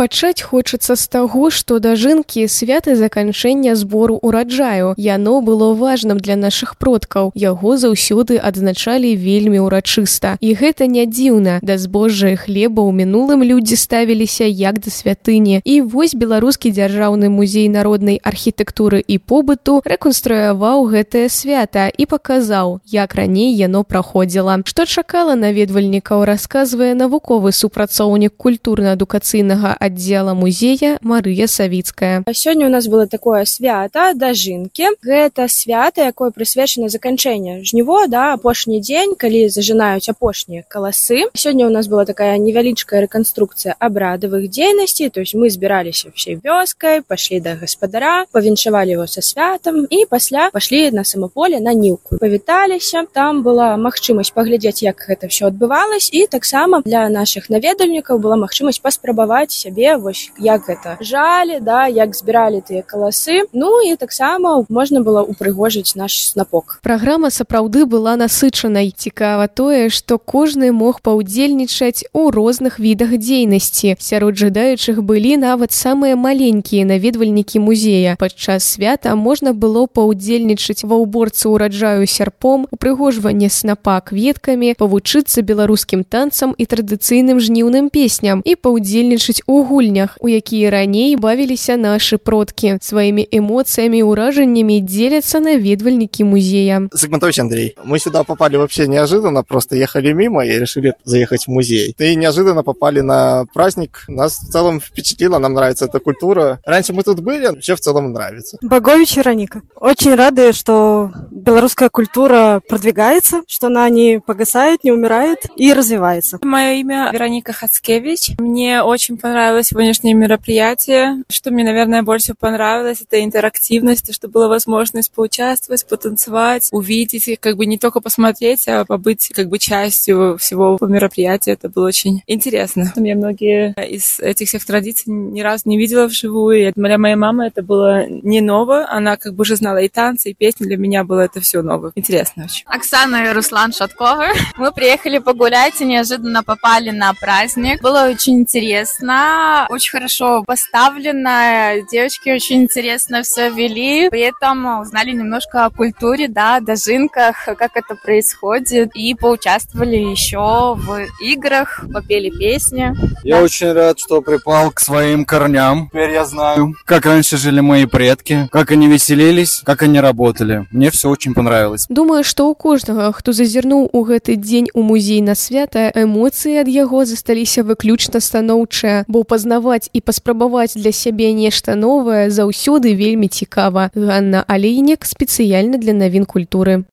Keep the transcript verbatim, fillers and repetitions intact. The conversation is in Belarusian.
Пачаць хочацца з таго, што дажынкі свята заканчэння збору ўраджаю. Яно было важным для нашых продкаў. Яго заўсёды адзначалі вельмі ўрачыста. І гэта не дзіўна. Да збожжа і хлеба ў мінулым людзі ставіліся як да святыні. І вось Беларускі дзяржаўны музей народнай архітэктуры і побыту рэканструяваў гэтае свята і паказаў, як раней яно праходзіла. Што чакала наведвальнікаў, расказвае навуковы супрацоўнік культурна-адукацыйнага аддзела музея Марыя Савіцкая. Сёння у нас было такое свята дажынкі. Гэта свята, якое прысвечана заканчэнню жніво, да, апошні дзень, калі зажынаюць апошнія каласы. Сёння у нас была такая невялічкая рэканструкцыя абрадавых дзейнасцей, то есть мы збіраліся всей вёскай, пашлі да гаспадара, павіншавалі его са святам і пасля пашлі на самаполе на ніўку. Павіталіся, там была магчымасць паглядзець, як гэта ўсё адбывалось, і таксама для нашых наведвальнікаў была магчымасць паспрабаваць сябе, вось як гэта жалі, да, як збіралі тыя каласы. Ну і таксама можна было упрыгожыць наш снапок. Праграма сапраўды была насычанай. Цікава тое, што кожны мог паўдзельнічаць у розных відах дзейнасці. Сярод жадаючых былі нават самыя маленькія наведвальнікі музея. Падчас свята можна было паўдзельнічаць ва ўборцы ўраджаю сярпом, упрыгожванне снапа кветкамі, павучыцца беларускім танцам і традыцыйным жніўным песням і паўдзельнічаць у гульнях, у якія раней бавіліся нашы продкі. Сваімі эмоцыямі і ўражаннямі дзеляцца наведвальнікі музея. Загмантович Андрей. Мы сюда попали вообще неожиданно, просто ехали мимо и решили заехать в музей. И неожиданно попали на праздник. Нас в целом впечатлило, нам нравится эта культура. Раньше мы тут были, вообще в целом нравится. Богович Вероника. Очень рады, что белорусская культура продвигается, что она не погасает, не умирает и развивается. Мое имя Вероника Хацкевич. Мне очень понравилось сегодняшнее мероприятие. Что мне, наверное, больше понравилось, это интерактивность, то, что была возможность поучаствовать, потанцевать, увидеть, как бы не только посмотреть, а побыть как бы частью всего мероприятия. Это было очень интересно. Я многие из этих всех традиций ни разу не видела вживую. И для моей мамы это было не ново. Она как бы уже знала и танцы, и песни. Для меня было это все ново. Интересно очень. Оксана и Руслан Шатковы. Мы приехали погулять и неожиданно попали на праздник. Было очень интересно, очень хорошо поставлено. Девочки очень интересно все вели. При этом узнали немножко о культуре, да, дожинках, как это происходит. И поучаствовали еще в играх, попели песни. Я да. очень рад, что припал к своим корням. Теперь я знаю, как раньше жили мои предки, как они веселились, как они работали. Мне все очень понравилось. Думаю, што ў кожнага, хто зазірнуў у гэты дзень у музей на свята, эмоцыі ад яго засталіся выключна станоўчыя, бо пазнаваць і паспрабаваць для сябе нешта новае заўсёды вельмі цікава. Ганна Алейнік спецыяльна для навін культуры.